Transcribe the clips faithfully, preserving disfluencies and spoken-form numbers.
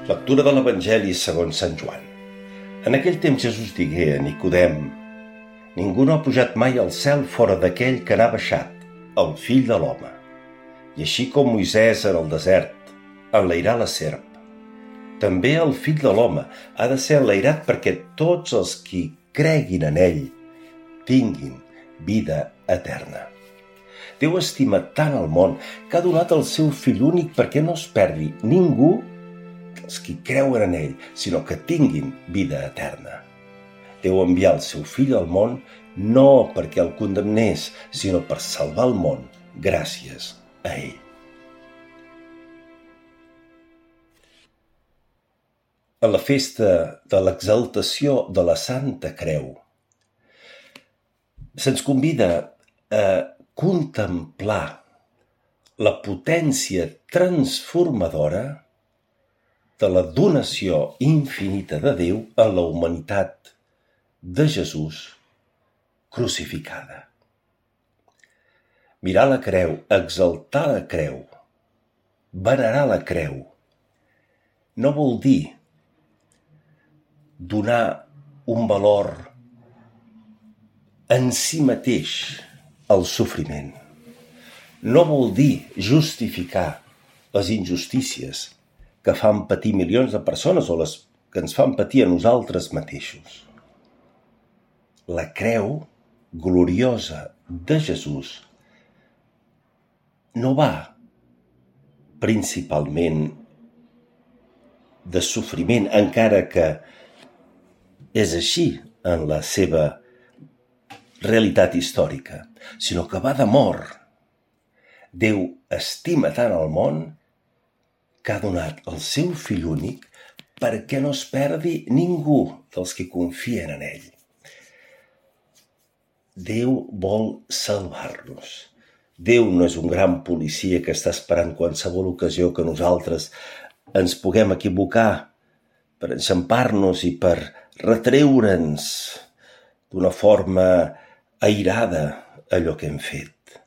Lectura de l'Evangeli segons Sant Joan. En aquell temps Jesús digué a Nicodem: Ningú no ha pujat mai al cel fora d'aquell que n'ha baixat, el fill de l'home. I així com Moisès en el desert enlairà la serp, també el fill de l'home ha de ser enlairat perquè tots els qui creguin en ell tinguin vida eterna. Déu estima tant el món que ha donat el seu fill únic perquè no es perdi ningú dels qui creuen en ell, sinó que tinguin vida eterna. Déu envià el seu fill al món no perquè el condemnés, sinó per salvar el món gràcies a ell. A la festa de l'exaltació de la Santa Creu, se'ns convida a contemplar la potència transformadora de la donació infinita de Déu en la humanitat de Jesús crucificada. Mirar la creu, exaltar la creu, venerar la creu, no vol dir donar un valor en si mateix al sofriment. No vol dir justificar les injustícies que fan patir milions de persones o les que ens fan patir a nosaltres mateixos. La creu gloriosa de Jesús no va principalment de sofriment, encara que és així en la seva realitat històrica, sinó que va d'amor. Déu estima tant el món que ha donat el seu fill únic perquè no es perdi ningú dels que confien en ell. Déu vol salvar-nos. Déu no és un gran policia que està esperant qualsevol ocasió que nosaltres ens puguem equivocar per enxampar-nos i per retreure'ns d'una forma airada allò que hem fet.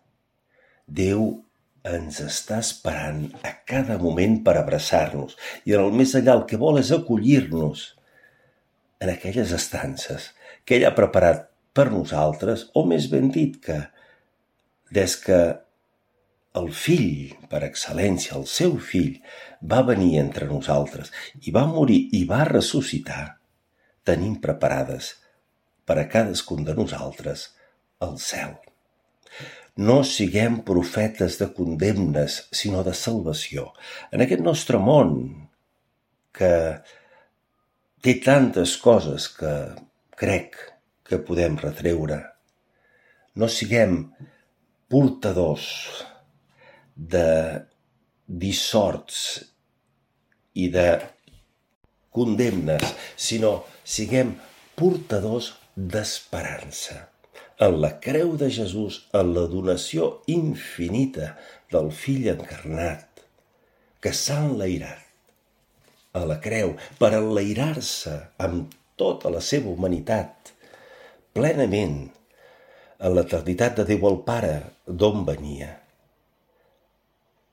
Déu ens està esperant a cada moment per abraçar-nos i en el més enllà el que vol és acollir-nos en aquelles estances que ell ha preparat per nosaltres, o més ben dit que des que el fill, per excel·lència, el seu fill, va venir entre nosaltres i va morir i va ressuscitar, tenim preparades per a cadascun de nosaltres el cel. No siguem profetes de condemnes, sinó de salvació. En aquest nostre món, que té tantes coses que crec que podem retreure, no siguem portadors de dissorts i de condemnes, sinó siguem portadors d'esperança. En la creu de Jesús, en la donació infinita del fill encarnat, que s'ha enlairat a la creu per enlairar-se amb tota la seva humanitat, plenament en l'eternitat de Déu el Pare, d'on venia.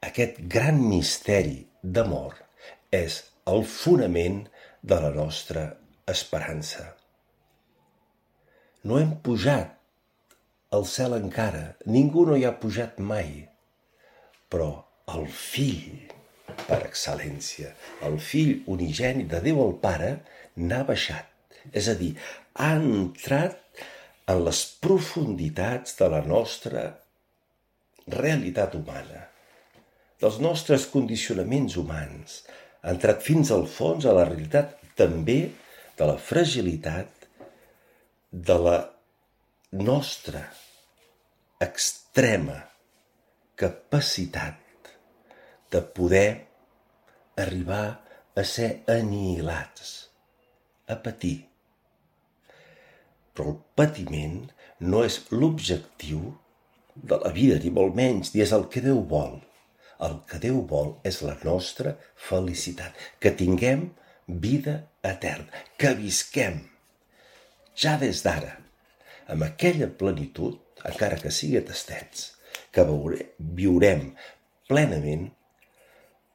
Aquest gran misteri d'amor és el fonament de la nostra esperança. No hem pujat al cel encara, ningú no hi ha pujat mai, però el fill, per excel·lència, el fill unigènit de Déu el Pare, n'ha baixat, és a dir, ha entrat en les profunditats de la nostra realitat humana, dels nostres condicionaments humans, ha entrat fins al fons a la realitat també de la fragilitat de la nostra extrema capacitat de poder arribar a ser anihilats, a patir. Però el patiment no és l'objectiu de la vida, ni molt menys, ni és el que Déu vol. El que Déu vol és la nostra felicitat, que tinguem vida eterna, que visquem ja des d'ara, amb aquella plenitud, encara que sigui a tastets, que viurem plenament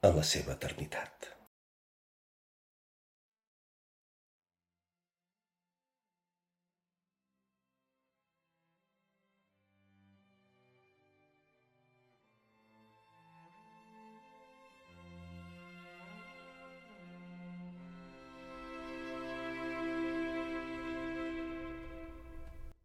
en la seva eternitat.